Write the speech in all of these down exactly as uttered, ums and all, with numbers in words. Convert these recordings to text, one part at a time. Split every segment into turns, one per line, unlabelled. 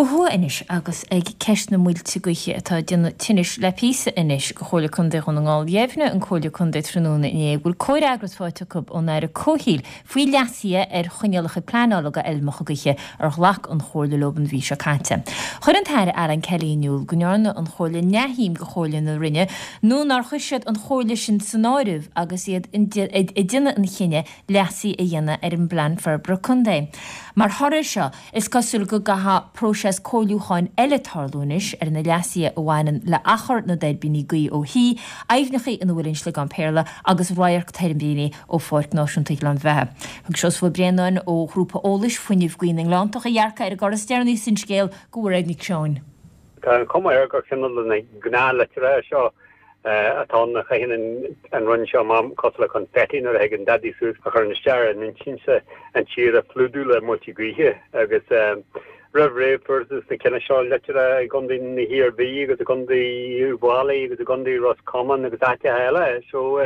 Ó thuaidh anois agus ag ceist na muilte gaoithe atá ag déanamh tinnis le píosa anois do Chomhairle Contae Dhún na nGall. Dheimhnigh an Comhairle Contae tráthnóna inné go bhfuil comhfhreagras faighte acu ón Aire Comhshaoil faoi leasuithe ar choinníollacha pleanála do fheilmeacha gaoithe ar ghlac an Chomhairle leo an mhí seo caite. Chuir an tAire Alan Kelly in iúl go ndearna an Chomhairle neamhshuim de chomhairle na Roinne nó nár chuir siad an chomhairle sin san áireamh agus iad ag déanamh an chinnidh leasuithe a dhéanamh ar an bplean forbartha contae. Mar thoradh seo is cosúil go gcaithfidh próiseas comhairliúcháin eile tarlú anois ar na leasuithe a bhaineann le achar na dtuirbíní gaoithe ó thithe, aibhneacha ina bhfuil an sliogán péarla agus radharc tuirbíní ó Pháirc Náisiúnta Ghleann Bheatha. Thug Seosamh Ó Braonáin ó Ghrúpa Eolais Fuinneamh Gaoithe na nGleanntach a dhearcadh ar an gcor is deireanaí san scéal do Mhairéad Nic Seoin.
Tá an chuma air gur cineál de na gnáthlitreacha seo atá ann a chaitheann an Roinn seo amach cosúil le confetti nuair a thagann Daidí suas a chuireann isteach ar an intinse an tír a phlódú le muilte gaoithe agus roimh ré fuarthas na cinn seo litreacha i gContae na hIarmhí agus i gContae Uíbh Fhailí agus i gContae Ros Comáin agus áiteacha eile so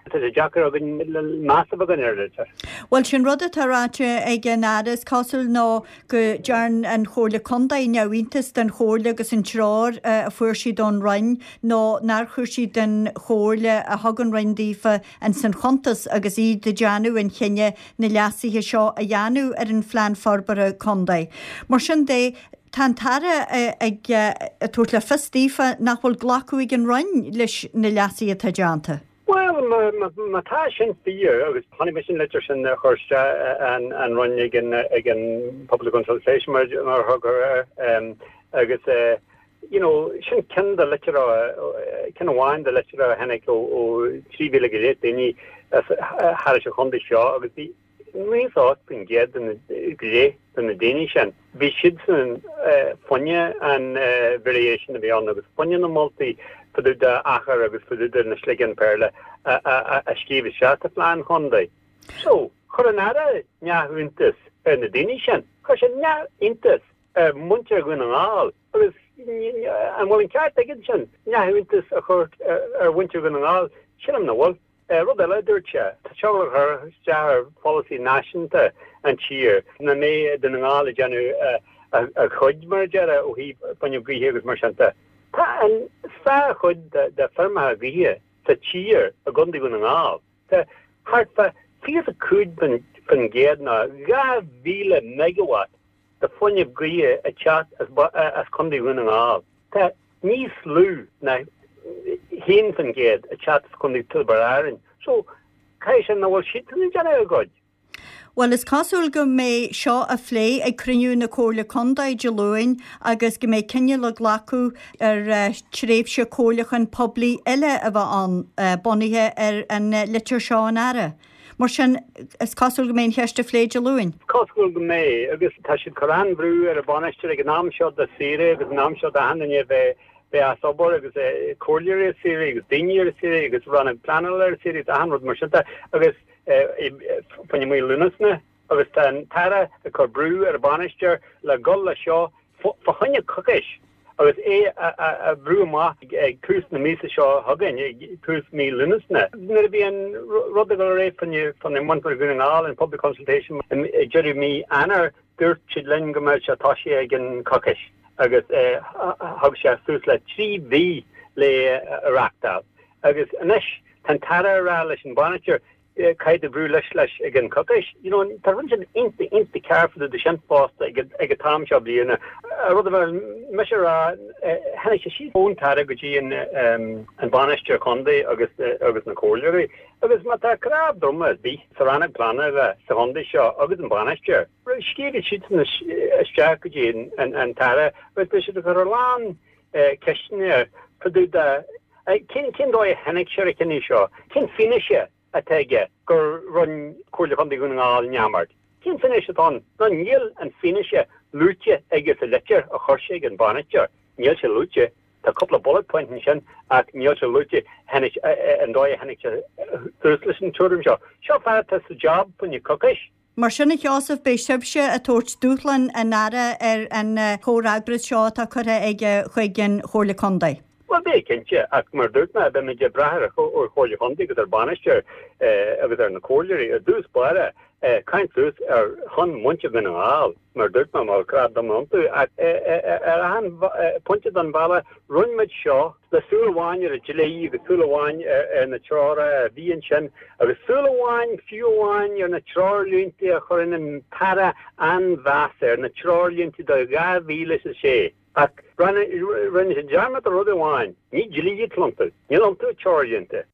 tá sé deacair againn meas a bheith againn ar an litir.
Bhuel sin rud atá ráite ag an Aire is cosúil ná go dtearn an Chomhairle Contae neamhiontas den chomhairle agus an treoir a fuair siad ón Roinn nó nár chuir siad an chomhairle a thug an Roinn daofa ins an chuntas agus iad ag déanamh an chinnidh na leasuithe seo a dhéanamh ar an phlean forbartha contae. Mar sin de, tá an tAire ag tabhairt le fios daofa nach bhfuil glacadh ag an Roinn leis na leasuithe atá déanta.
Bhuel, má tá sin fíor, agus chonaic mise an litir sin a chuir isteach an Roinn ag an ag an public consultation mar a thugtar air, agus you know sin ceann de litreacha, ceann amháin de litreacha a tháinig ó trí mhíle go leith daoine thar an chontae seo agus bhí naocha ocht faoin gcéad de na go leith de na daoine sin, bhí siadsan fá choinne an variation a bhí ann agus fá choinne na moltaí fá dtaobh de achar agus fá dtaobh de na sligeáin péarla a scríobh isteach sa phlean chontae. So, chuir an Aire neamhiontas ar na daoine sin. Chuir sé neamhiontas ar mhuintir Dhún na nGall agus an bhfuil an ceart aige ansin neamhiontas a chur ar mhuintir Dhún na nGall? Sílim nach bhfuil. Rud eile a dúirt sé, tá seo le cur isteach ar pholasaí náisiúnta an tír, nach mbeidh Dún na nGall ag déanamh a chuid, mar a déarfá, ó thaobh fuinneamh gaoithe agus mar sin de. Tá an sárchuid de feirmeacha gaoithe sa tír i gContae Dhún na nGall. Tá thart fá fiche a cúig faoin gcéad nó dhá mhíle megawatt de fuinneamh gaoithe ag teacht as Contae Dhún na nGall. Tá níos lú ná haon faoin gcéad ag teacht as Contae Tiobraid Árann. So, caithfidh sé nach bhfuil siadsan ag déanamh a gcuid.
Bhuel, is cosúil go mbeidh seo á phlé ag cruinniú na Comhairle Contae Dé Luain agus go mbeidh cinneadh le glacadh ar tréimhse comhairliúcháin poiblí eile a bheith ann, bunaithe ar an litir seo ón Aire. Mar sin, is cosúil go mbeidh an cheist á phlé Dé Luain.
Is cosúil go mbeidh, agus tá siad ag cur an-bhrú ar an bhainisteoir ag an am seo de saoire agus an am seo d'achan duine a bheith bheith as obair agus comhairleoirí ar saoire agus daoine ar saoire agus rannóg pleanála ar saoire agus achan rud mar sin de agus fá choinne mí Lúnasa agus tá an tAire ag cur brú ar an bhainisteoir le dhul leis seo fá choinne coicís agus é a bhrú amach ag tús na míosa seo chugainn, ag tús mí Lúnasa. Nuair a bhí an rud ag dul ar aghaidh fá choinne muintir Dhún na nGall, an public consultation, ag deireadh mí Eanáir, dúirt siad linn go mbeadh sé tosaithe i gceann coicís agus thug sé suas le trí mhí le a reachtáil. Agus anois tá an tAire ag rá leis an bhainisteoir, Caithfidh tú brú leis leis i gceann coicís. You know, tá rud sin iontach iontach cearr fá dtaobh de sin fosta ag ag an t-am seo bliana. Rud a bheadh mise a rá, tháinig sé síos ón tAire go dtí an an bainisteoir contae agus agus na comhairleoirí agus má tá cnámh droma ar bith sa rannóg pleanála sa chontae seo agus an bainisteoir, scríobhfaidh siadsan isteach go dtí an an tAire agus beidh siad ag cur a lán ceisteanna air fá dtaobh de cén cén dóigh a tháinig sé ar an chinneadh seo, cén fianaise atá aige gur rinne Comhairle Chontae Dhún na nGall neamart. Cén fianaise atá ann? Nó níl an fianaise luaite aige sa litir a chuir sé ag an bhainisteoir. Níl sé luaite. Tá cúpla bullet point ansin ach níl sé luaite tháinig an dóigh a tháinig sé suas leis an tuairim seo. Seo fear atá sa job fá choinne coicís.
Mar sin, a Sheosaimh, beidh sibhse ag tabhairt dúshlán an Aire ar an chomhfhreagras seo atá curtha aige chuig an Chomhairle Contae.
Bhuel, beidh, cinnte, ach mar a dúirt mé, beimid ag brath ar an Chomhairle Chontae agus ar an bhainisteoir agus ar na comhairleoirí ar dtús báire Caint suas ar shon muintir Dhún na nGall, mar dúirt mé, mar grá dom iontu, ach ar achan pointe den bhealach rinne muid seo le súil amháin ar an dlí agus súil amháin ar na treoracha a bhí ansin agus súil amháin, fiú amháin, ar na treoirlínte a chuireann an tAire an-mheas air, na treoirlínte do dhá mhíle is a sé. Ach rinne siad dearmad ar rud amháin, ní dlí atá iontu, níl iontu ach treoirlínte.